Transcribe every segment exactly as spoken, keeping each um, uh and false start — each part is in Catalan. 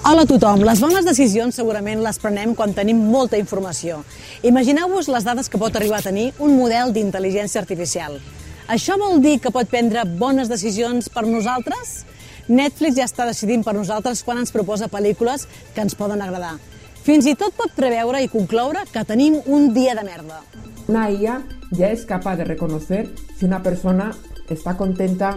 Hola a tothom. Les bones decisions segurament les prenem quan tenim molta informació. Imagineu-vos les dades que pot arribar a tenir un model d'intel·ligència artificial. Això vol dir que pot prendre bones decisions per nosaltres? Netflix ja està decidint per nosaltres quan ens proposa pel·lícules que ens poden agradar. Fins i tot pot preveure i concloure que tenim un dia de merda. Una I A ya es capaz de reconocer si una persona está contenta,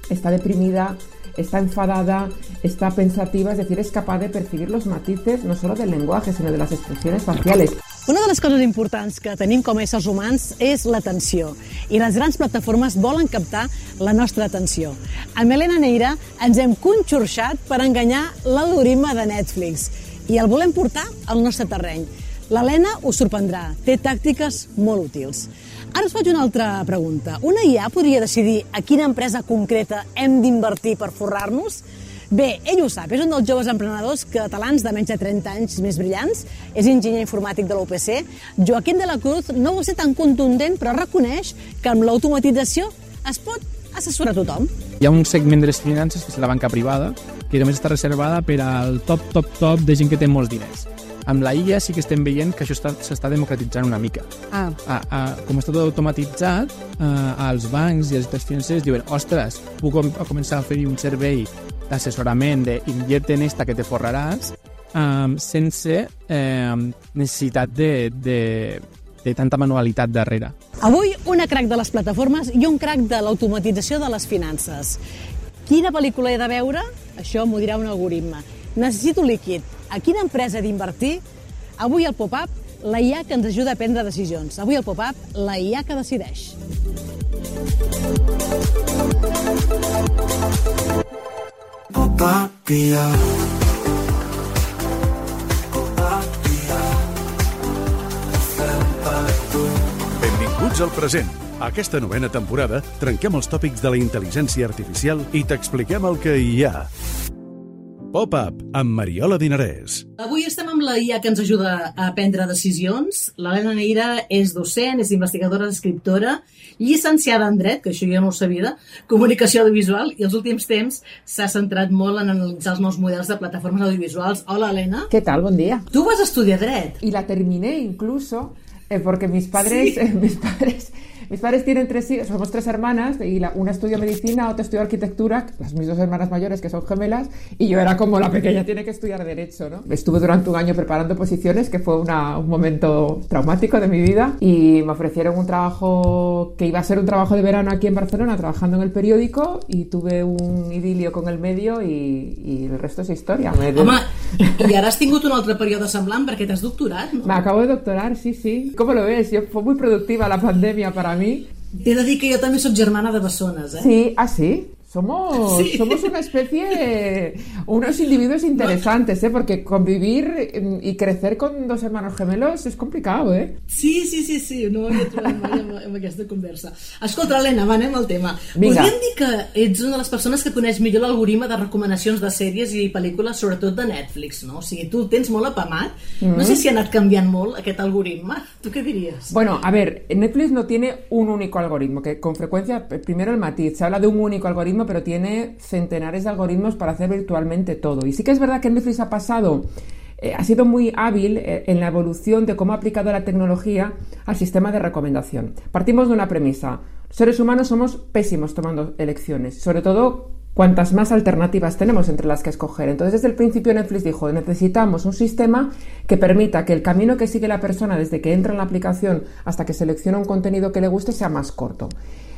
está deprimida, está enfadada, está pensativa, es decir, es capaz de percibir los matices no solo del lenguaje, sino de las expresiones faciales. Una de les coses importants que tenim com a éssers humans és l'atenció, i les grans plataformes volen captar la nostra atenció. Amb Helena Neira ens hem conxorxat per enganyar l'algoritme de Netflix i el volem portar al nostre terreny. L'Helena us sorprendrà, té tàctiques molt útils. Ara us faig una altra pregunta. Una I A podria decidir a quina empresa concreta hem d'invertir per forrar-nos? Bé, ell ho sap, és un dels joves emprenedors catalans de menys de trenta anys més brillants, és enginyer informàtic de la U P C. Joaquim de la Cruz no vol ser tan contundent, però reconeix que amb l'automatització es pot assessorar tothom. Hi ha un segment de les finances, que és la banca privada, que només està reservada per al top, top, top de gent que té molts diners. Amb la I A sí que estem veient que això s'està democratitzant una mica. Ah. A, a, com està tot automatitzat, a, als bancs i als sectors financers diuen, ostres, puc com, començar a oferir un servei d'assessorament de invierte en esta que te forraràs, um, sense eh, necessitat de, de, de tanta manualitat darrere. Avui, una crac de les plataformes i un crac de l'automatització de les finances. Quina pel·lícula he de veure? Això m'ho dirà un algoritme. Necessito líquid. A quina empresa he d'invertir? Avui al Pop-Up, la I A que ens ajuda a prendre decisions. Avui al Pop-Up, la I A que decideix. Pop-Up I A. Pop-Up I A. Fem per tu. Benvinguts al present. A aquesta novena temporada trenquem els tòpics de la intel·ligència artificial i t'expliquem el que hi ha. Pop-Up amb Mariola Dinarès. Avui estem amb la I A que ens ajuda a prendre decisions. L'Helena Neira és docent, és investigadora, escriptora, llicenciada en dret, que això ja no ho sabia, comunicació audiovisual, i els últims temps s'ha centrat molt en analitzar els nous models de plataformes audiovisuals. Hola, Helena. ¿Qué tal? Buen día. Tú vas a estudiar dret. Y la terminé incluso eh, porque mis padres, sí. eh, mis padres... Mis padres tienen tres hijos, somos tres hermanas, y la, una estudió medicina, otra estudió arquitectura, las mis dos hermanas mayores que son gemelas, y yo era como la pequeña, tiene que estudiar derecho, ¿no? Estuve durante un año preparando posiciones, que fue una, un momento traumático de mi vida, y me ofrecieron un trabajo que iba a ser un trabajo de verano aquí en Barcelona, trabajando en el periódico, y tuve un idilio con el medio, y, y el resto es historia. Me de... Home, i ara has tingut un altre període semblant perquè t'has doctorat, no? Me acabo de doctorar, sí, sí. ¿Cómo lo ves? Yo, fue muy productiva la pandemia para mí. T'he de dir que jo també soc germana de bessones, eh? Sí, ah, sí. Somos, sí. somos una especie, unos individuos interesantes, ¿eh? Porque convivir y crecer con dos hermanos gemelos es complicado, ¿eh? Sí, sí, sí, sí, no m'havia trobat mai amb, amb aquesta conversa. Escolta, Helena, va, anem al tema. Vinga. Podríem dir que ets una de les persones que coneix millor l'algoritme de recomanacions de sèries i pel·lícules, sobretot de Netflix, no? O sigui, tu el tens molt apamat. Mm-hmm. No sé si ha anat canviant molt aquest algoritme. ¿Tú qué dirías? Bueno, a ver, Netflix no tiene un único algoritmo, que con frecuencia, primero el matiz, se habla de un único algoritmo, pero tiene centenares de algoritmos para hacer virtualmente todo. Y sí que es verdad que Netflix ha pasado, eh, ha sido muy hábil eh, en la evolución de cómo ha aplicado la tecnología al sistema de recomendación. Partimos de una premisa. Los seres humanos somos pésimos tomando elecciones, sobre todo cuantas más alternativas tenemos entre las que escoger. Entonces, desde el principio Netflix dijo, necesitamos un sistema que permita que el camino que sigue la persona desde que entra en la aplicación hasta que selecciona un contenido que le guste sea más corto.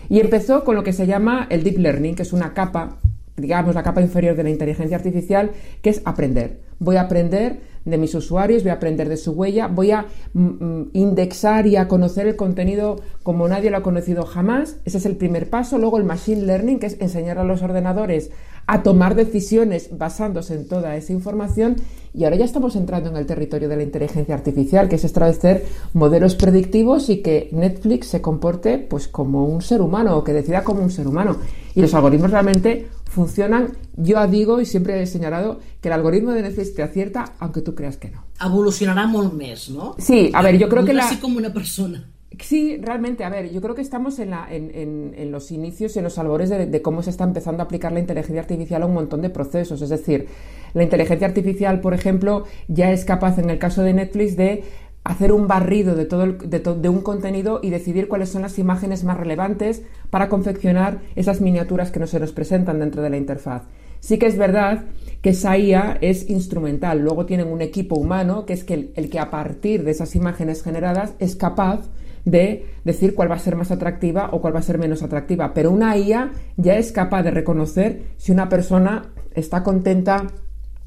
Y empezó con lo que se llama el Deep Learning, que es una capa, digamos, la capa inferior de la inteligencia artificial, que es aprender. Voy a aprender de mis usuarios, voy a aprender de su huella, voy a mm, indexar y a conocer el contenido como nadie lo ha conocido jamás. Ese es el primer paso. Luego el Machine Learning, que es enseñar a los ordenadores a tomar decisiones basándose en toda esa información. Y ahora ya estamos entrando en el territorio de la inteligencia artificial, que es establecer modelos predictivos y que Netflix se comporte pues como un ser humano, o que decida como un ser humano. Y los algoritmos realmente funcionan. Yo digo y siempre he señalado que el algoritmo de Netflix te acierta aunque tú creas que no. Evolucionarà molt més, no? Sí, a ver, yo creo que la... Así como una persona. Sí, realmente, a ver, yo creo que estamos en, la, en, en, en los inicios y en los albores de, de cómo se está empezando a aplicar la inteligencia artificial a un montón de procesos. Es decir, la inteligencia artificial, por ejemplo, ya es capaz, en el caso de Netflix, de hacer un barrido de todo el, de, to, de un contenido y decidir cuáles son las imágenes más relevantes para confeccionar esas miniaturas que no se nos presentan dentro de la interfaz. Sí que es verdad que esa I A es instrumental. Luego tienen un equipo humano que es que el, el que a partir de esas imágenes generadas es capaz de decir cuál va a ser más atractiva o cuál va a ser menos atractiva. Pero una I A ya es capaz de reconocer si una persona está contenta,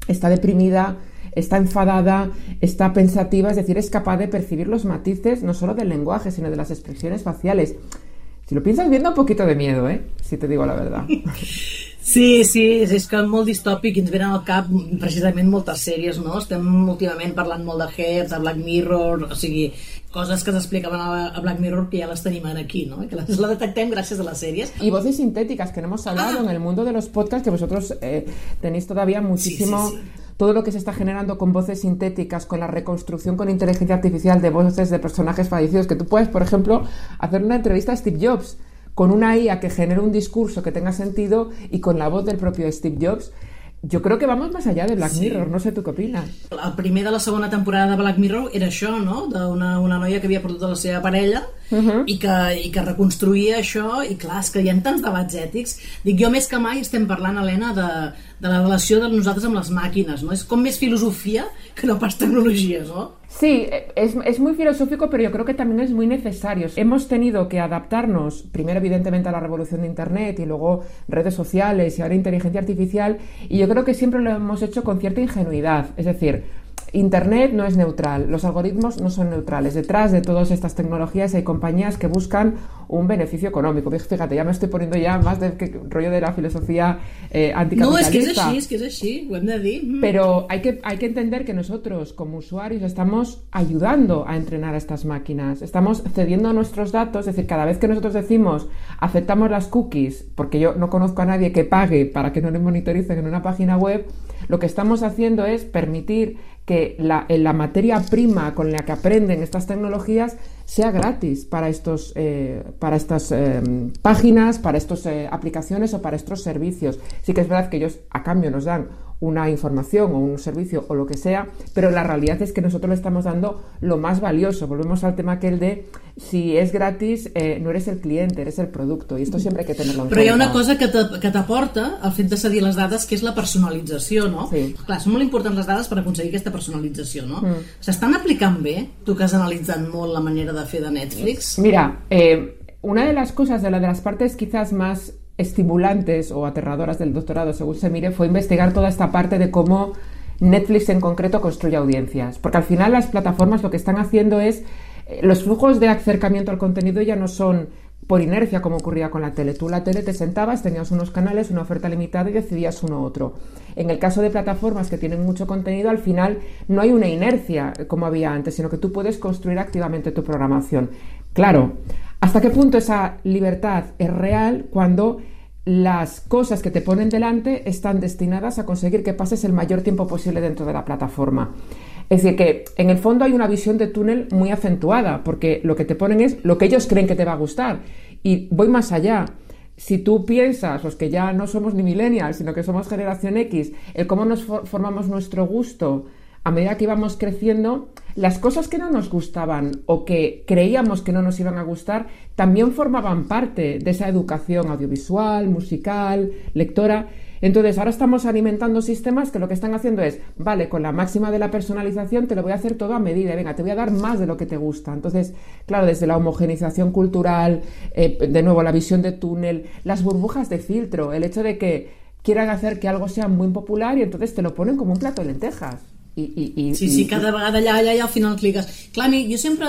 está deprimida, está enfadada, está pensativa, es decir, es capaz de percibir los matices no solo del lenguaje, sino de las expresiones faciales. Si lo piensas bien, da un poquito de miedo, ¿eh? Si te digo la verdad. Sí, sí, és que molt distòpic i ens venen al cap precisament moltes sèries, no? Estem últimament parlant molt de Heads, de Black Mirror, o sigui, coses que s'explicaven a Black Mirror que ya las tenim aquí, ¿no? Que las, la detectem gracias a las series. Y voces sintéticas, que no hemos hablado ah. en el mundo de los podcasts, que vosotros eh, tenéis todavía muchísimo... Sí, sí, sí. Todo lo que se está generando con voces sintéticas, con la reconstrucción con inteligencia artificial de voces de personajes fallecidos, que tú puedes, por ejemplo, hacer una entrevista a Steve Jobs con una I A que genere un discurso que tenga sentido y con la voz del propio Steve Jobs. Jo crec que vamos més allà de Black sí. Mirror, no sé tu què opines. El primer de la segona temporada de Black Mirror era això, no? D'una una noia que havia perdut la seva parella uh-huh. i, que, i que reconstruïa això, i clar, és que hi ha tants debats ètics. Dic, jo més que mai estem parlant, Helena, de, de la relació de nosaltres amb les màquines, no? És com més filosofia que no pas tecnologia, no? Sí, es, es muy filosófico, pero yo creo que también es muy necesario. Hemos tenido que adaptarnos, primero evidentemente a la revolución de Internet y luego redes sociales y ahora inteligencia artificial, y yo creo que siempre lo hemos hecho con cierta ingenuidad. Es decir, Internet no es neutral, los algoritmos no son neutrales. Detrás de todas estas tecnologías hay compañías que buscan un beneficio económico. Fíjate, ya me estoy poniendo ya más del que, rollo de la filosofía eh, anticapitalista. No, es que es así, es que es así, ho hem de dir. Pero hay que, hay que entender que nosotros como usuarios estamos ayudando a entrenar a estas máquinas, estamos cediendo nuestros datos, es decir, cada vez que nosotros decimos aceptamos las cookies, porque yo no conozco a nadie que pague para que no le monitoricen en una página web, lo que estamos haciendo es permitir que la, la materia prima con la que aprenden estas tecnologías sea gratis para estos eh, para estas eh, páginas, para estas eh, aplicaciones o para estos servicios. Sí que es verdad que ellos a cambio nos dan una información o un servicio o lo que sea, pero la realidad es que nosotros le estamos dando lo más valioso. Volvemos al tema aquel de si es gratis, eh, no eres el cliente, eres el producto, i esto siempre hay que tenerlo en Però cuenta. Hi ha una cosa que t'aporta el fet de cedir les dades, que és la personalització, no? Sí. Clar, són molt importants les dades per aconseguir aquesta personalització, no? Mm. S'estan aplicant bé? Tu que has analitzat molt la manera de fer de Netflix. Mira, eh, una de las cosas, de, la, de las partes quizás más estimulantes o aterradoras del doctorado, según se mire, fue investigar toda esta parte de cómo Netflix en concreto construye audiencias, porque al final las plataformas lo que están haciendo es eh, los flujos de acercamiento al contenido ya no son por inercia como ocurría con la tele. Tú la tele te sentabas, tenías unos canales, una oferta limitada y decidías uno u otro. En el caso de plataformas que tienen mucho contenido, al final no hay una inercia como había antes, sino que tú puedes construir activamente tu programación. Claro, ¿hasta qué punto esa libertad es real cuando las cosas que te ponen delante están destinadas a conseguir que pases el mayor tiempo posible dentro de la plataforma? Es decir, que en el fondo hay una visión de túnel muy acentuada, porque lo que te ponen es lo que ellos creen que te va a gustar. Y voy más allá. Si tú piensas, los que ya no somos ni millennials, sino que somos generación X, el cómo nos for- formamos nuestro gusto a medida que íbamos creciendo, las cosas que no nos gustaban o que creíamos que no nos iban a gustar también formaban parte de esa educación audiovisual, musical, lectora. Entonces ahora estamos alimentando sistemas que lo que están haciendo es, vale, con la máxima de la personalización te lo voy a hacer todo a medida, venga, te voy a dar más de lo que te gusta. Entonces, claro, desde la homogenización cultural, eh, de nuevo la visión de túnel, las burbujas de filtro, el hecho de que quieran hacer que algo sea muy popular y entonces te lo ponen como un plato de lentejas. I, i, i, sí, sí, cada vegada allà, allà i al final cliques. Clar, jo sempre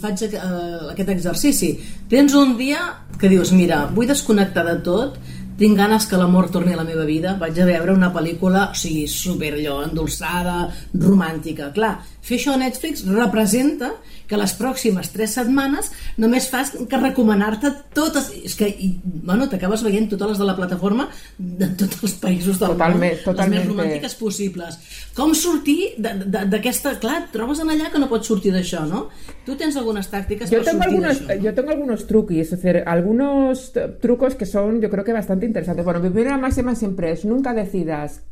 faig aquest exercici. Tens un dia que dius, mira, vull desconnectar de tot, tinc ganes que l'amor torni a la meva vida, vaig a veure una pel·lícula, o sigui, super allò, endolçada, romàntica. Clar, fer això a Netflix representa que les pròximes tres setmanes només fas que recomanar-te totes, és que, i, bueno, t'acabes veient totes les de la plataforma de tots els països del totalment, món, totalment, les més romàntiques possibles. Com sortir d'aquesta... Clar, trobes en allà que no pots sortir d'això, ¿no? Tu tens algunes tàctiques yo per tengo sortir algunos, d'això. Yo tengo algunos truquis, es decir, algunos trucos que son, yo creo que bastante interesantes. Bueno, mi primera máxima siempre es nunca decidas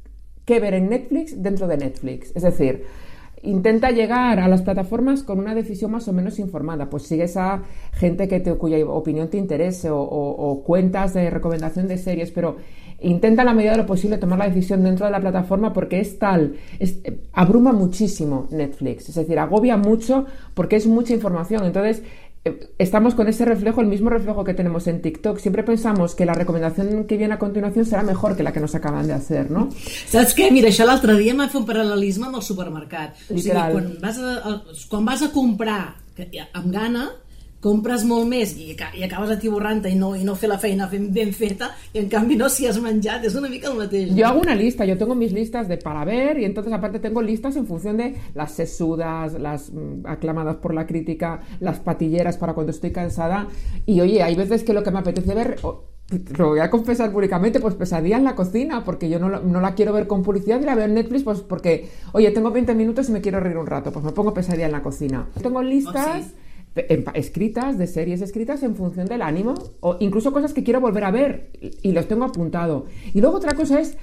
qué ver en Netflix dentro de Netflix. Es decir, intenta llegar a las plataformas con una decisión más o menos informada. Pues sigues a gente que te, cuya opinión te interese o, o, o cuentas de recomendación de series, pero intenta a la medida de lo posible tomar la decisión dentro de la plataforma porque es tal, es, abruma muchísimo Netflix, es decir, agobia mucho porque es mucha información. Entonces estamos con ese reflejo, el mismo reflejo que tenemos en TikTok. Siempre pensamos que la recomendación que viene a continuación serà mejor que la que nos acaban de hacer, ¿no? Saps què? Mira, això l'altre dia m'ha fet un paral·lelisme amb el supermercat. Literal. O sigui, quan vas a, quan vas a comprar amb gana, compres molt més i, i acabes atiborrant-te i no, i no fer la feina ben feta, i en canvi no, si has menjat, és una mica el mateix. Yo hago una lista, yo tengo mis listas de para ver y entonces aparte tengo listas en función de las sesudas, las mm, aclamadas por la crítica, las patilleras para cuando estoy cansada. Y oye, hay veces que lo que me apetece ver... Oh, lo voy a confesar públicamente, pues Pesadilla en la cocina, porque yo no, no la quiero ver con publicidad y la veo en Netflix, pues porque, oye, tengo veinte minutos y me quiero reír un rato, pues me pongo Pesadilla en la cocina. Tengo listas... Oh, sí. escritas, de series escritas en función del ánimo o incluso cosas que quiero volver a ver y los tengo apuntado. Y luego otra cosa es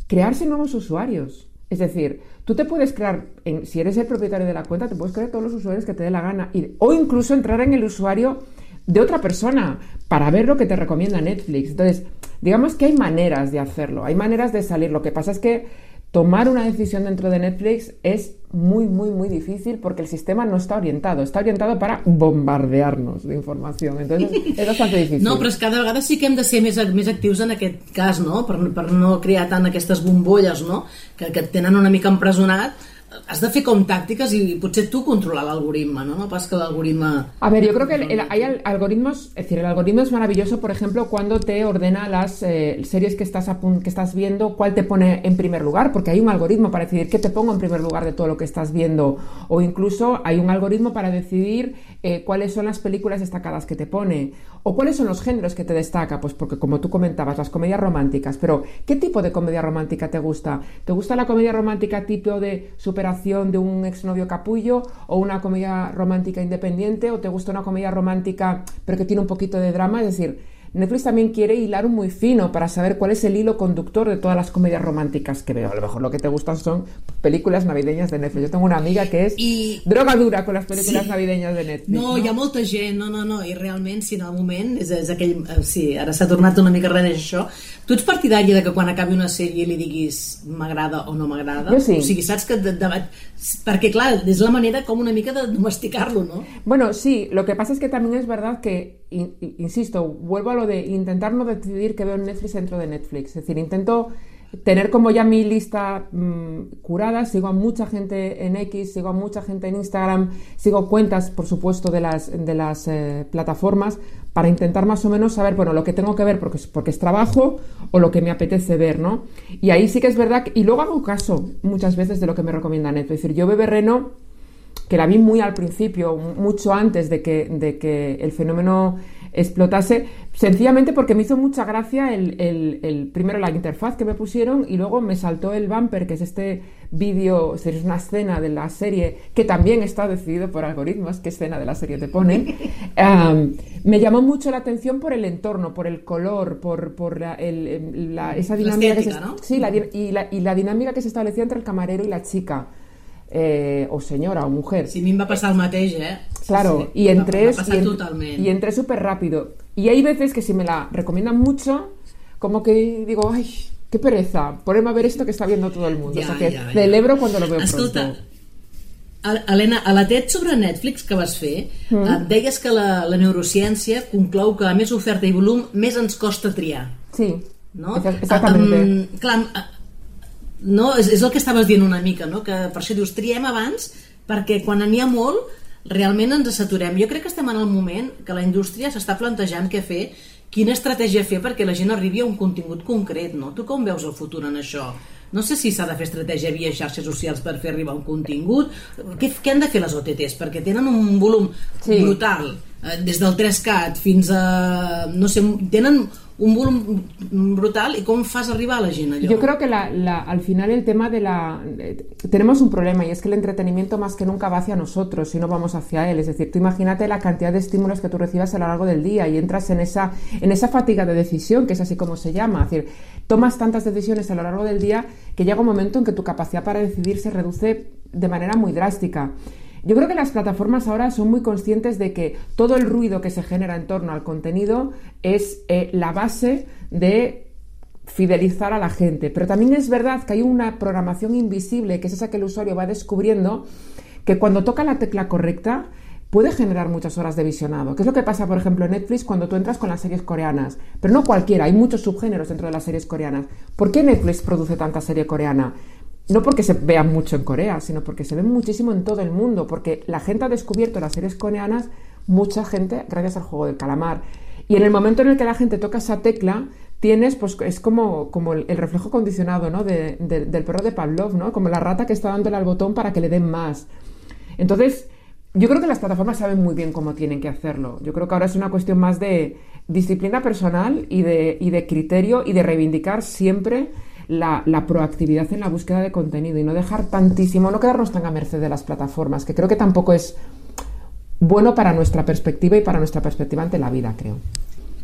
crearse nuevos usuarios. Es decir, tú te puedes crear, en, si eres el propietario de la cuenta, te puedes crear todos los usuarios que te dé la gana y, o incluso entrar en el usuario de otra persona para ver lo que te recomienda Netflix. Entonces, digamos que hay maneras de hacerlo, hay maneras de salir. Lo que pasa es que tomar una decisión dentro de Netflix es muy, muy, muy difícil porque el sistema no está orientado. Está orientado para bombardearnos de información. Entonces, és bastante difícil. No, però és que cada vegada sí que hem de ser més, més actius en aquest cas, no? Per, per no crear tant aquestes bombolles, no? Que, que et tenen una mica empresonat. Has de fer com tàctiques y potser tú controlar l'algoritme, ¿no? No pas que l'algoritme... A ver, yo creo que el, el, hay algoritmos, es decir, el algoritmo es maravilloso, por ejemplo, cuando te ordena las eh, series que estás, a, que estás viendo, cuál te pone en primer lugar, porque hay un algoritmo para decidir qué te pongo en primer lugar de todo lo que estás viendo, o incluso hay un algoritmo para decidir eh, cuáles son las películas destacadas que te pone, o cuáles son los géneros que te destaca, pues porque como tú comentabas, las comedias románticas, pero ¿qué tipo de comedia romántica te gusta? ¿Te gusta la comedia romántica tipo de superación de un exnovio capullo o una comedia romántica independiente o te gusta una comedia romántica pero que tiene un poquito de drama? Es decir, Netflix también quiere hilar muy fino para saber cuál es el hilo conductor de todas las comedias románticas que veo. A lo mejor lo que te gustan son películas navideñas de Netflix. Yo tengo una amiga que es I... droga dura con las películas sí. navideñas de Netflix. No, no, hi ha molta gent, no, no, no, i realment, si en el moment, és, és aquell, sí, ara s'ha tornat una mica res això. Tu ets partidari de que quan acabi una sèrie li diguis m'agrada o no m'agrada? Jo sí. O sigui, saps que... De, de, perquè, clar, és la manera com una mica de domesticar-lo, ¿no? Bueno, sí, lo que pasa es que también es verdad que, in, insisto, vuelvo a lo de intentar no decidir que veo en Netflix dentro de Netflix. Es decir, intento tener como ya mi lista mmm, curada, sigo a mucha gente en X, sigo a mucha gente en Instagram, sigo cuentas, por supuesto, de las, de las eh, plataformas para intentar más o menos saber, bueno, lo que tengo que ver porque es, porque es trabajo o lo que me apetece ver, ¿no? Y ahí sí que es verdad, que, y luego hago caso muchas veces de lo que me recomienda Netflix. Es decir, yo Bebé Reno, que la vi muy al principio, mucho antes de que, de que el fenómeno explotase, sencillamente porque me hizo mucha gracia el, el, el primero la interfaz que me pusieron y luego me saltó el bumper, que es este vídeo, es una escena de la serie que también está decidido por algoritmos, qué escena de la serie te ponen. um, me llamó mucho la atención por el entorno, por el color, por, por la, el, la, esa dinámica la estética, que se, ¿no? sí, la, y, la, y la dinámica que se establecía entre el camarero y la chica. Eh, o señora o mujer. Sí, a mi em va passar el mateix, eh? Claro, sí, y entré va, va y, en, totalment. y entré súper rápido. Y hay veces que si me la recomiendan mucho, como que digo, ay, qué pereza, ponerme a ver esto que está viendo todo el mundo. Ja, o sea que ja, ja. celebro cuando lo veo. Escolta, pronto. Helena, a la TED sobre Netflix que vas fer, mm. et deies que la, la neurociència conclou que a més oferta i volum més ens costa triar. Sí, no? exactamente. Um, clar, no, és, és el que estaves dient una mica, no? Que per això dius triem abans perquè quan n'hi ha molt realment ens saturem. Jo crec que estem en el moment que la indústria s'està plantejant què fer quina estratègia fer perquè la gent arribi a un contingut concret, no? Tu com veus el futur en això? No sé si s'ha de fer estratègia via xarxes socials per fer arribar un contingut. Què, què han de fer les O T Ts? Perquè tenen un volum sí. brutal, eh, des del tres cat fins a... no sé, tenen un volum brutal, y cómo fas arribar a la gent allò? Yo creo que la, la, al final el tema de la... Eh, tenemos un problema, y es que el entretenimiento más que nunca va hacia nosotros y no vamos hacia él. Es decir, tú imagínate la cantidad de estímulos que tú recibas a lo largo del día y entras en esa, en esa fatiga de decisión, que es así como se llama. Es decir, tomas tantas decisiones a lo largo del día que llega un momento en que tu capacidad para decidir se reduce de manera muy drástica. Yo creo que las plataformas ahora son muy conscientes de que todo el ruido que se genera en torno al contenido es eh, la base de fidelizar a la gente. Pero también es verdad que hay una programación invisible, que es esa que el usuario va descubriendo, que cuando toca la tecla correcta puede generar muchas horas de visionado. ¿Qué es lo que pasa, por ejemplo, en Netflix cuando tú entras con las series coreanas? Pero no cualquiera, hay muchos subgéneros dentro de las series coreanas. ¿Por qué Netflix produce tanta serie coreana? No porque se vean mucho en Corea, sino porque se ven muchísimo en todo el mundo, porque la gente ha descubierto las series coreanas, mucha gente, gracias al juego del calamar. Y en el momento en el que la gente toca esa tecla, tienes, pues es como, como el, el reflejo condicionado, ¿no? de, de, del perro de Pavlov, ¿no? Como la rata que está dándole al botón para que le den más. Entonces, yo creo que las plataformas saben muy bien cómo tienen que hacerlo. Yo creo que ahora es una cuestión más de disciplina personal y de, y de criterio y de reivindicar siempre La, la proactividad en la búsqueda de contenido y no dejar tantísimo, no quedarnos tan a merced de las plataformas, que creo que tampoco es bueno para nuestra perspectiva y para nuestra perspectiva ante la vida, creo.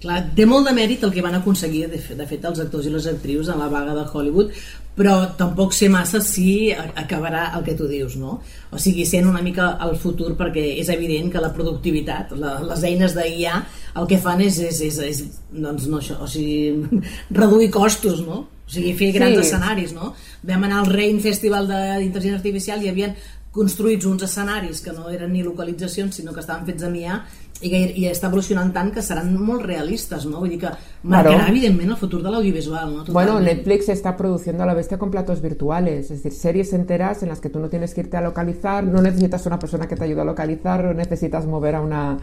Clar, té molt de mèrit el que van aconseguir de, de fet els actors i les actrius en la vaga de Hollywood, però tampoc sé massa si acabarà el que tu dius, no? O sigui, sent una mica el futur, perquè és evident que la productivitat, la, les eines d'I A, el que fan és, és, és, és doncs no això, o sigui, reduir costos, no? O sigui, fer grans sí. escenaris, no? Vam anar al Rain Festival d'Intel·ligència Artificial i hi havia construïts uns escenaris que no eren ni localitzacions, sinó que estaven fets amb I A, i, i està evolucionant tant que seran molt realistes, ¿no? Vull dir que marcarà, claro, evidentment el futur de l'audiovisual, ¿no? Totalment. Bueno, Netflix está produciendo a la bestia con platos virtuales, es decir, series enteras en las que tú no tienes que irte a localizar, no necesitas una persona que te ayude a localizar, no necesitas mover a una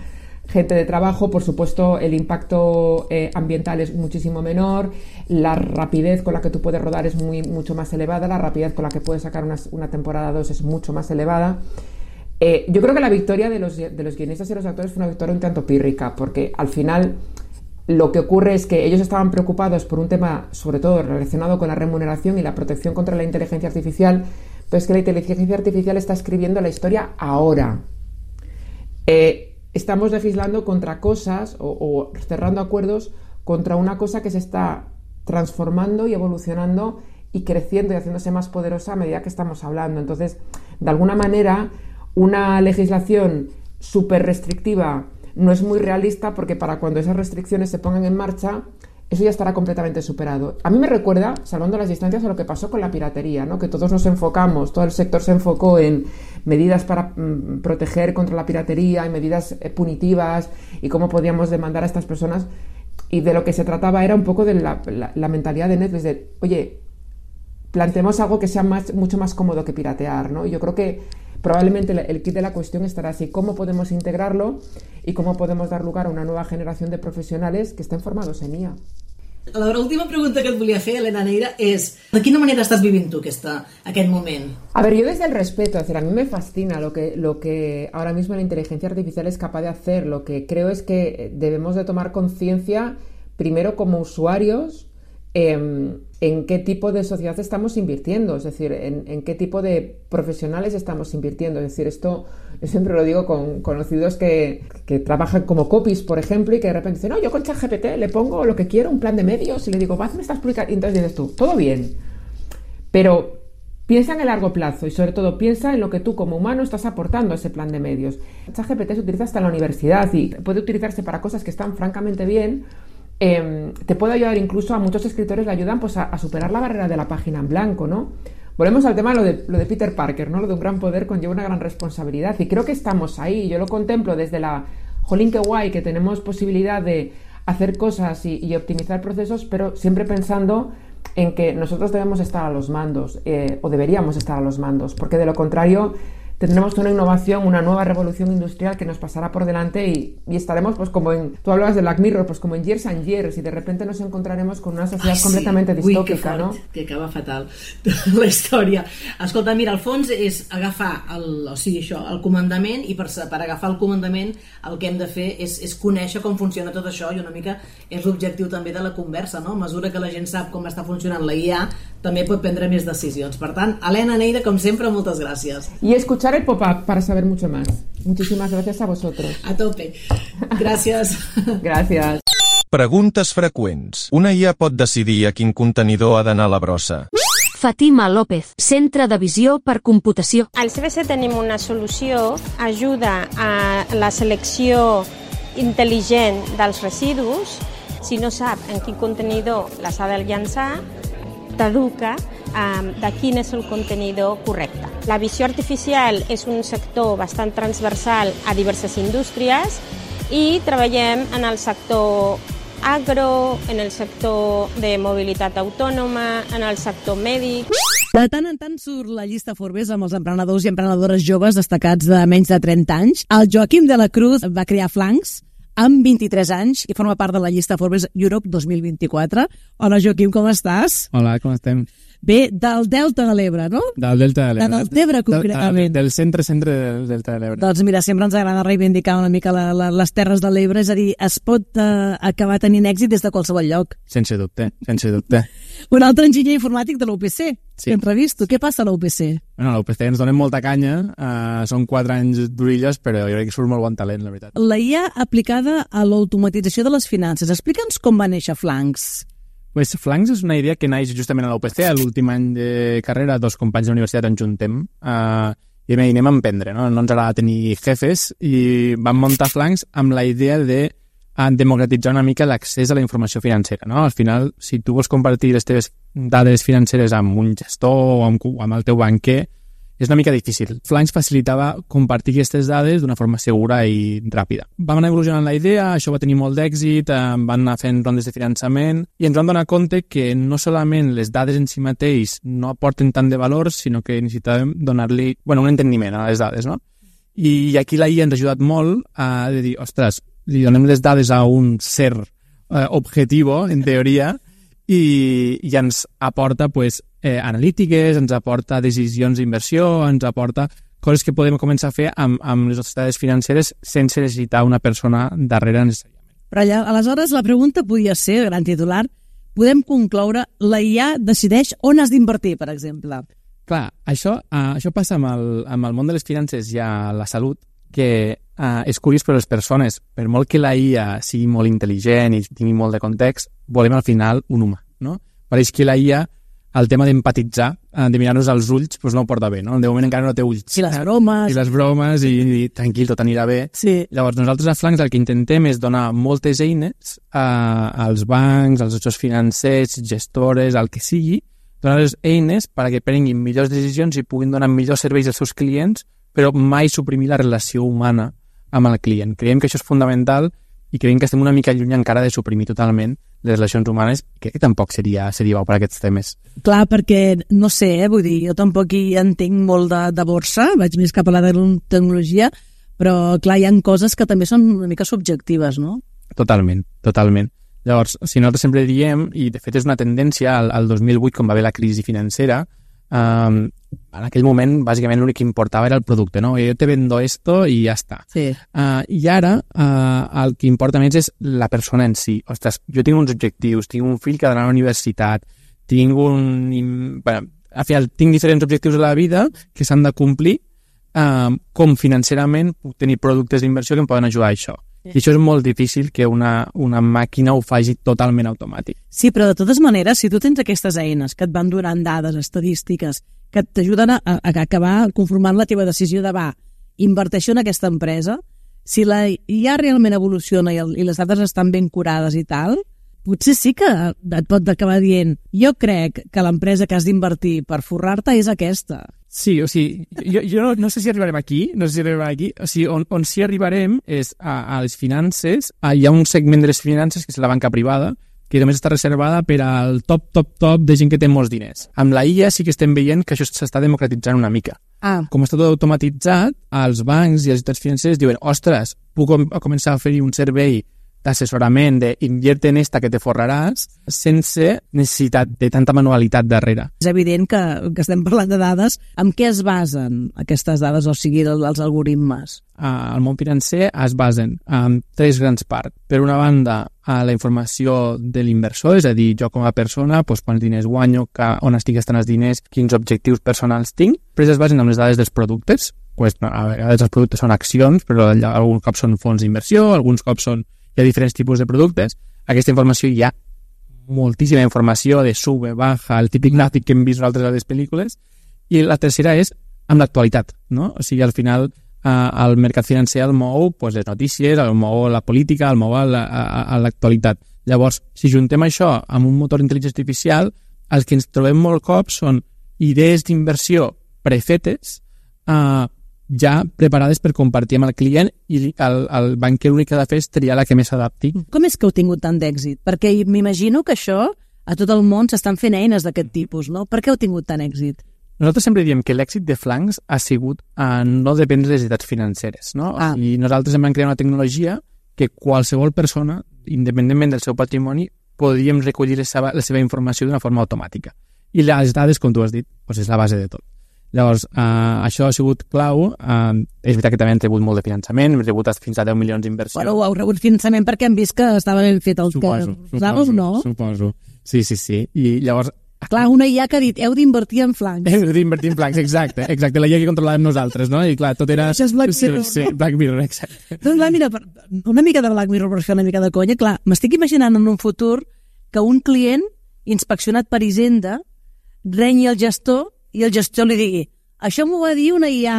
gente de trabajo. Por supuesto, el impacto eh, ambiental es muchísimo menor, la rapidez con la que tú puedes rodar es muy, mucho más elevada, la rapidez con la que puedes sacar una, una temporada dos es mucho más elevada. Eh, yo creo que la victoria de los, de los guionistas y los actores fue una victoria un tanto pírrica, porque al final lo que ocurre es que ellos estaban preocupados por un tema, sobre todo relacionado con la remuneración y la protección contra la inteligencia artificial, pero es que la inteligencia artificial está escribiendo la historia ahora. Eh, estamos legislando contra cosas o, o cerrando acuerdos contra una cosa que se está transformando y evolucionando y creciendo y haciéndose más poderosa a medida que estamos hablando. Entonces, de alguna manera, una legislación súper restrictiva no es muy realista, porque para cuando esas restricciones se pongan en marcha, eso ya estará completamente superado. A mí me recuerda, salvando las distancias, a lo que pasó con la piratería, ¿no? Que todos nos enfocamos, todo el sector se enfocó en medidas para mm, proteger contra la piratería y medidas eh, punitivas y cómo podíamos demandar a estas personas, y de lo que se trataba era un poco de la, la, la mentalidad de Netflix de, oye, planteemos algo que sea más, mucho más cómodo que piratear, ¿no? Y yo creo que probablemente el kit de la cuestión estará así: cómo podemos integrarlo y cómo podemos dar lugar a una nueva generación de profesionales que estén formados en I A. La última pregunta que et volia fer, Elena Neira, és de quina manera estàs vivint tu aquesta, aquest moment? A ver, yo desde el respeto, es decir, a mí me fascina lo que, lo que ahora mismo la inteligencia artificial es capaz de hacer. Lo que creo es que debemos de tomar conciencia, primero como usuarios, eh, en qué tipo de sociedad estamos invirtiendo, es decir, en, en qué tipo de profesionales estamos invirtiendo. Es decir, esto yo siempre lo digo con conocidos que, que trabajan como copies, por ejemplo, y que de repente dicen, no, yo con ChatGPT le pongo lo que quiero, un plan de medios, y le digo, hazme estas publicaciones, y entonces dices tú, todo bien, pero piensa en el largo plazo y sobre todo piensa en lo que tú como humano estás aportando a ese plan de medios. ChatGPT se utiliza hasta en la universidad y puede utilizarse para cosas que están francamente bien. Eh, te puede ayudar, incluso a muchos escritores le ayudan pues a, a superar la barrera de la página en blanco, ¿no? Volvemos al tema lo de, lo de Peter Parker, ¿no? Lo de un gran poder conlleva una gran responsabilidad, y creo que estamos ahí. Yo lo contemplo desde la jolín que guay que tenemos posibilidad de hacer cosas y, y optimizar procesos, pero siempre pensando en que nosotros debemos estar a los mandos, eh, o deberíamos estar a los mandos, porque de lo contrario tendremos una innovación, una nueva revolución industrial que nos pasará por delante y, y estaremos pues como en, tú hablabas de Black Mirror, pues como en years and years y de repente nos encontraremos con una sociedad Ai, completamente sí. distópica, Ui, que fort, no? Que acaba fatal la història. Escolta, mira, al fons és agafar el, o sigui, això, el comandament i per, per agafar el comandament el que hem de fer és, és conèixer com funciona tot això i una mica és l'objectiu també de la conversa, no? A mesura que la gent sap com està funcionant la I A també pot prendre més decisions. Per tant, Elena Neira, com sempre, moltes gràcies. Y escuchar el pop-up para saber mucho más. Muchísimas gracias a vosotros. A tope. Gràcies. Gràcies. Preguntes freqüents. Una I A pot decidir a quin contenidor ha d'anar la brossa? Fatima López, Centre de Visió per Computació. Al C B C tenim una solució, ajuda a la selecció intel·ligent dels residus. Si no sap en quin contenidor les ha de llançar, t'educa um, de quin és el contenidor correcte. La visió artificial és un sector bastant transversal a diverses indústries i treballem en el sector agro, en el sector de mobilitat autònoma, en el sector mèdic. De tant en tant surt la llista Forbes amb els emprenedors i emprenedores joves destacats de menys de trenta anys. El Joaquim de la Cruz va crear Flanks amb vint-i-tres anys i forma part de la llista Forbes Europe dos mil vint-i-quatre. Hola, Joaquim, com estàs? Hola, com estem? Bé, del Delta de l'Ebre, no? Del Delta de l'Ebre. De Deltebre, concretament. Del centre-centre del Delta de l'Ebre. Doncs mira, sempre ens agrada reivindicar una mica la, la, les terres de l'Ebre, és a dir, es pot uh, acabar tenint èxit des de qualsevol lloc. Sense dubte, sense dubte. Un altre enginyer informàtic de l'U P C, sí. que entrevisto. Què passa a l'U P C? Bueno, a l'U P C ens donen molta canya, uh, són quatre anys d'orilles, però jo crec que surt molt bon talent, la veritat. La I A aplicada a l'automatització de les finances. Explica'ns com va néixer Flanks. Pues Flanks és una idea que naix justament a la U P C, a l'últim any de carrera, dos companys de la universitat ens juntem uh, i anem a emprendre, no? No ens agrada tenir jefes i vam muntar Flanks amb la idea de uh, democratitzar una mica l'accés a la informació financera, no? Al final, si tu vols compartir les teves dades financeres amb un gestor o amb, o amb el teu banquer, és una mica difícil. Flanks facilitava compartir aquestes dades d'una forma segura i ràpida. Vam anar evolucionant la idea, això va tenir molt d'èxit, eh, van anar fent rondes de finançament i ens vam donar compte que no solament les dades en si mateix no aporten tant de valor, sinó que necessitàvem donar-li bueno, un enteniment a les dades, no? I aquí la I A ens ha ajudat molt a dir, ostres, li donem les dades a un ser eh, objetivo, en teoria, i, i ens aporta pues, eh, analítiques, ens aporta decisions d'inversió, ens aporta coses que podem començar a fer amb, amb les nostres dades financeres sense necessitar una persona darrere necessàriament. Però allà, aleshores la pregunta podia ser, gran titular, podem concloure, la I A decideix on has d'invertir, per exemple. Clar, això, uh, això passa amb el, amb el món de les finances i a la salut, que uh, és curiós per les persones, per molt que la I A sigui molt intel·ligent i tingui molt de context, volem al final un humà, no? Pareix que la I A, el tema d'empatitzar, uh, de mirar-nos als ulls, doncs no ho porta bé, no? De moment encara no té ulls. I les bromes. I les bromes, i, i tranquil, tot anirà bé. Sí. Llavors, nosaltres a Flanks el que intentem és donar moltes eines uh, als bancs, als gestors financers, gestores, al que sigui, donar-les eines perquè prenguin millors decisions i puguin donar millors serveis als seus clients, però mai suprimir la relació humana amb el client. Creiem que això és fundamental i creiem que estem una mica lluny encara de suprimir totalment les relacions humanes, crec que tampoc seria, seria bo per aquests temes. Clar, perquè, no sé, eh, vull dir, jo tampoc hi entenc molt de, de borsa, vaig més cap a la de tecnologia, però, clar, hi ha coses que també són una mica subjectives, no? Totalment, totalment. Llavors, si nosaltres sempre diem, i de fet és una tendència, al, al dos mil vuit, quan va haver la crisi financera, um, en aquell moment, bàsicament, l'únic que importava era el producte, no? Jo te vendo esto i ja està. Sí. Uh, I ara, uh, el que importa més és la persona en si. Ostres, jo tinc uns objectius, tinc un fill que ha d'anar a la universitat, tinc un... Bueno, al final, tinc diferents objectius a la vida que s'han de complir, uh, com financerament puc tenir productes d'inversió que em poden ajudar a això. Sí. I això és molt difícil que una, una màquina ho faci totalment automàtic. Sí, però de totes maneres, si tu tens aquestes eines que et van donant dades, estadístiques, que t'ajuden a, a, a acabar conformant la teva decisió de va, inverteixo en aquesta empresa, si la I A realment evoluciona i, el, i les dades estan ben curades i tal, potser sí que et pot acabar dient jo crec que l'empresa que has d'invertir per forrar-te és aquesta. Sí, o sigui, jo, jo no, no sé si arribarem aquí, no sé si arribarem aquí, o sigui, on, on sí arribarem és a, a les finances, a, hi ha un segment de les finances que és la banca privada, que només està reservada per al top, top, top de gent que té molts diners. Amb la I A sí que estem veient que això s'està democratitzant una mica. Ah. Com està tot automatitzat, els bancs i els entitats financers diuen, ostres, puc començar a oferir un servei d'assessorament, d'invierte en esta que te forraràs, sense necessitat de tanta manualitat darrere. És evident que, que estem parlant de dades. En què es basen aquestes dades, o sigui, els algoritmes? Al món financer es basen en tres grans parts. Per una banda, a la informació de l'inversor, és a dir, jo com a persona, doncs, quants diners guanyo, que, on estic gastant els diners, quins objectius personals tinc. Després es basen en les dades dels productes. Pues, a vegades els productes són accions, però alguns cops són fons d'inversió, alguns cops són hi ha diferents tipus de productes. Aquesta informació hi ha moltíssima informació de sube, baja, el típic gràfic que hem vist nosaltres a les pel·lícules. I la tercera és amb l'actualitat, no? O sigui, al final eh, el mercat financer el mou pues, les notícies, el mou la política, el mou a l'actualitat. Llavors, si juntem això amb un motor d'intel·ligència artificial, els que ens trobem molt cops són idees d'inversió prefetes, eh, ja preparades per compartir amb el client, i el, el banquer l'únic que ha de fer és triar la que més s'adapti. Com és que heu tingut tant d'èxit? Perquè m'imagino que això a tot el món s'estan fent eines d'aquest tipus, no? Per què heu tingut tant èxit? Nosaltres sempre diem que l'èxit de Flancs ha sigut a no dependre de les necessitats financeres, no? Ah. I nosaltres hem creat una tecnologia que qualsevol persona, independentment del seu patrimoni, podríem recollir la seva, la seva informació d'una forma automàtica. I les dades, com tu has dit, doncs és la base de tot. Llavors, eh, això ha sigut clau. Eh, és veritat que també hem rebut molt de finançament, hem rebut fins a deu milions d'inversió. Bueno, ho heu rebut finançament perquè hem vist que estava ben fet el suposo, que... Suposo, no? Suposo, sí, sí, sí. I llavors... Clar, una I A que ha dit, heu d'invertir en flancs. Heu d'invertir en flancs, exacte, exacte. La I A que controlàvem nosaltres, no? I clar, tot era... Això és Black Mirror. Sí, sí, Black Mirror, exacte. Doncs clar, mira, una mica de Black Mirror per fer una mica de conya, clar, m'estic imaginant en un futur que un client inspeccionat per Hisenda renyi el gestor i el gestor li digui: això m'ho va dir una I A.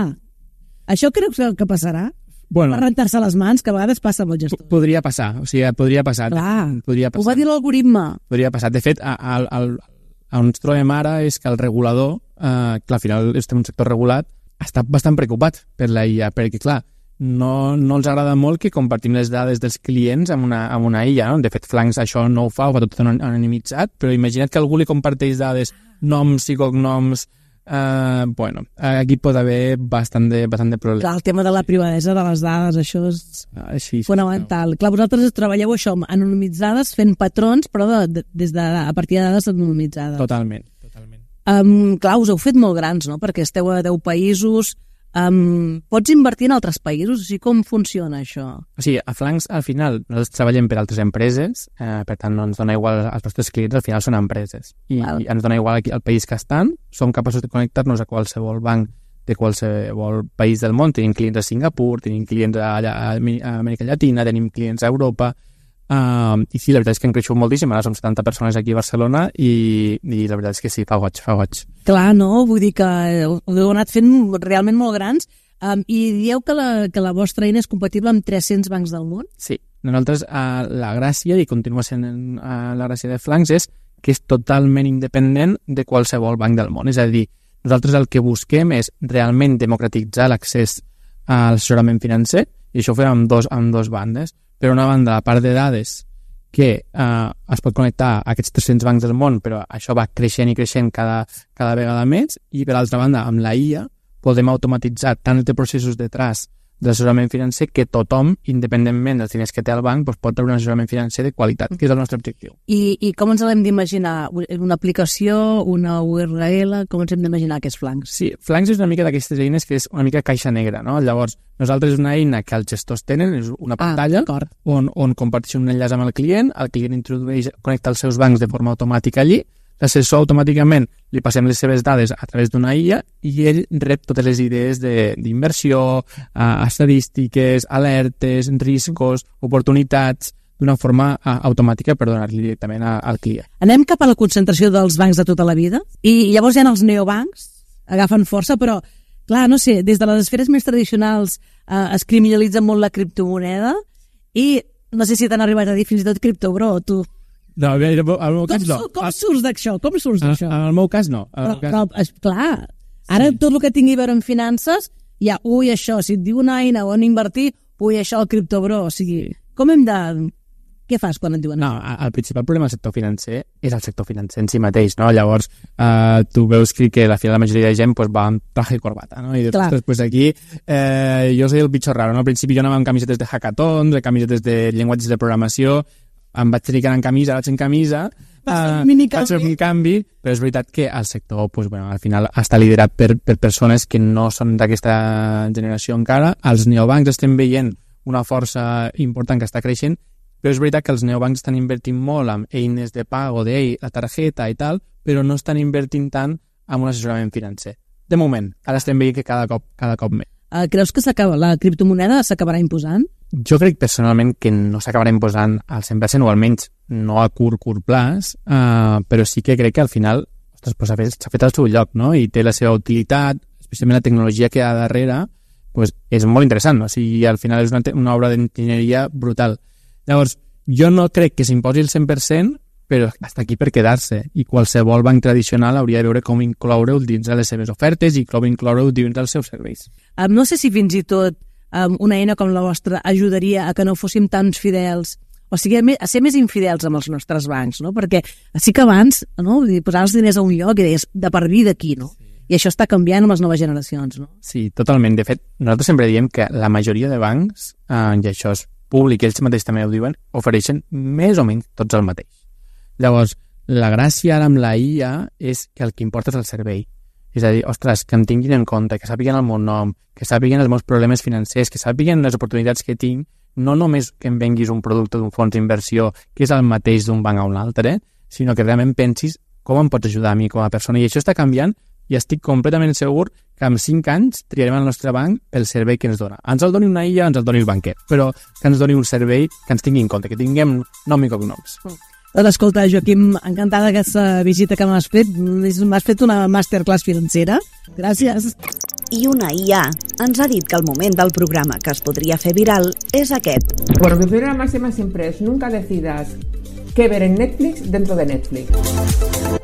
Això creus que passarà? Bueno, per rentar-se les mans, que a vegades passa amb el gestor. Podria passar, o sigui, podria passar. Clar, podria passar. Ho va dir l'algoritme. Podria passar. De fet, a, a, a, on ens trobem ara és que el regulador, eh, que al final estem en un sector regulat, està bastant preocupat per la I A, perquè, clar, no, no els agrada molt que compartim les dades dels clients amb una, amb una I A, no? De fet, Flancs això no ho fa, ho fa tot anonimitzat, però imagina't que algú li comparteix dades, noms i cognoms. Uh, bueno, aquí pot haver bastant de, bastant de problemes. Clar, el tema de la privadesa de les dades, això és ah, sí, sí, fonamental. No. Clar, vosaltres treballeu això anonimitzades, fent patrons, però de, de, des de, a partir de dades anonimitzades. Totalment, totalment. Um, clar, us heu fet molt grans, no?, perquè esteu a deu països. Um, pots invertir en altres països? O sigui, com funciona això? O sigui, a Flancs, al final, nosaltres treballem per altres empreses, eh, per tant, no ens dona igual, els nostres clients al final són empreses, i, i ens dona igual aquí, el país que estan, som capaços de connectar-nos a qualsevol banc de qualsevol país del món. Tenim clients a Singapur, tenim clients a, a, a Amèrica Llatina, tenim clients a Europa. Uh, i sí, la veritat és que hem creixut moltíssim, ara som setanta persones aquí a Barcelona, i, i la veritat és que sí, fa goig, fa goig. Clar, no? Vull dir que ho heu anat fent realment molt grans, um, i dieu que la, que la vostra eina és compatible amb tres-cents bancs del món? Sí, nosaltres uh, la gràcia, i continua sent uh, la gràcia de Flancs, és que és totalment independent de qualsevol banc del món. És a dir, nosaltres el que busquem és realment democratitzar l'accés a l'assessorament financer, i això ho fem amb dos, amb dos bandes. Per una banda, la part de dades, que eh, es pot connectar a aquests tres-cents bancs del món, però això va creixent i creixent cada, cada vegada més, i per altra banda, amb la I A podem automatitzar tant els processos detrás de l'assessorament financer que tothom, independentment dels diners que té el banc, doncs pot treure un assessorament financer de qualitat, que és el nostre objectiu. I, i com ens l'hem d'imaginar? Una aplicació, una U R L, com ens hem d'imaginar que és Flancs? Sí, Flancs és una mica d'aquestes eines que és una mica caixa negra, no? Llavors, nosaltres és una eina que els gestors tenen, és una pantalla ah, on, on comparteixen un enllaç amb el client, el client introdueix, connecta els seus bancs de forma automàtica allí, l'assessor automàticament li passem les seves dades a través d'una I A i ell rep totes les idees d'inversió, uh, estadístiques, alertes, riscos, oportunitats, d'una forma uh, automàtica per donar-li directament a, al client. Anem cap a la concentració dels bancs de tota la vida i llavors hi ha els neobancs, agafen força, però clar, no sé, des de les esferes més tradicionals uh, es criminalitza molt la criptomoneda i no sé si t'han arribat a dir fins i tot criptobro, tu... No, en el meu cas no. Com, com surts d'això? Com surts d'això? En el meu cas no. Però, però, clar, ara sí. Tot el que tingui a veure amb finances, ja, ui, això, si et diu una eina on invertir, ui, això, el criptobro, o sigui, com hem de... què fas quan et diuen? No, el principal problema del sector financer és el sector financer en si mateix, no? Llavors, eh, tu veus que, que al final la majoria de gent pues, va amb traje i corbata, no? I dius, ostres, pues aquí eh, jo soy el bicho raro, no? Al principi jo anava amb camisetes de hackathons, de camisetes de llenguatges de programació, em vaig tenir que anar en camisa, vaig en camisa, Uh, vaig fer un canvi, però és veritat que el sector pues, bueno, al final està liderat per, per persones que no són d'aquesta generació encara. Els neobancs estem veient una força important que està creixent, però és veritat que els neobancs estan invertint molt en eines de pago, de la targeta i tal, però no estan invertint tant en un assessorament financer. De moment, ara estem veient que cada cop, cada cop més. Uh, creus que s'acaba la criptomoneda s'acabarà imposant? Jo crec personalment que no s'acabarà imposant al cent per cent o almenys no a curt, curt plaç, uh, però sí que crec que al final ostres, pues, s'ha fet, fet al seu lloc, no? I té la seva utilitat, especialment la tecnologia que hi ha darrere, pues, és molt interessant, no? O sigui, al final és una, una obra d'enginyeria brutal. Llavors, jo no crec que s'imposi el cent per cent, però està aquí per quedar-se, i qualsevol banc tradicional hauria de veure com incloure-ho dins de les seves ofertes i com incloure-ho dins dels seus serveis. Um, no sé si fins i tot um, una eina com la vostra ajudaria a que no fóssim tants fidels, o sigui, a ser més infidels amb els nostres bancs, no? Perquè sí que abans, no? Posar els diners a un lloc i deies de per vida aquí, no? Sí. I això està canviant amb les noves generacions, no? Sí, totalment. De fet, nosaltres sempre diem que la majoria de bancs, eh, i això és públic, ells mateixos també ho diuen, ofereixen més o menys tots el mateix. Llavors, la gràcia ara amb la I A és que el que importa és el servei. És a dir, ostres, que em tinguin en compte, que sàpiguen el meu nom, que sàpiguen els meus problemes financers, que sàpiguen les oportunitats que tinc, no només que em venguis un producte d'un fons d'inversió que és el mateix d'un banc a un altre, sinó que realment pensis com em pots ajudar a mi com a persona. I això està canviant i estic completament segur que en cinc anys triarem el nostre banc pel servei que ens dona. Ens el doni una I A, ens el doni el banquer, però que ens doni un servei que ens tingui en compte, que tinguem nom i cognoms. Doncs escolta, Joaquim, encantada aquesta visita que m'has fet. M'has fet una masterclass financera. Gràcies. I una I A ens ha dit que el moment del programa que es podria fer viral és aquest. Bueno, mi primera máxima siempre es nunca decidas qué ver en Netflix dentro de Netflix.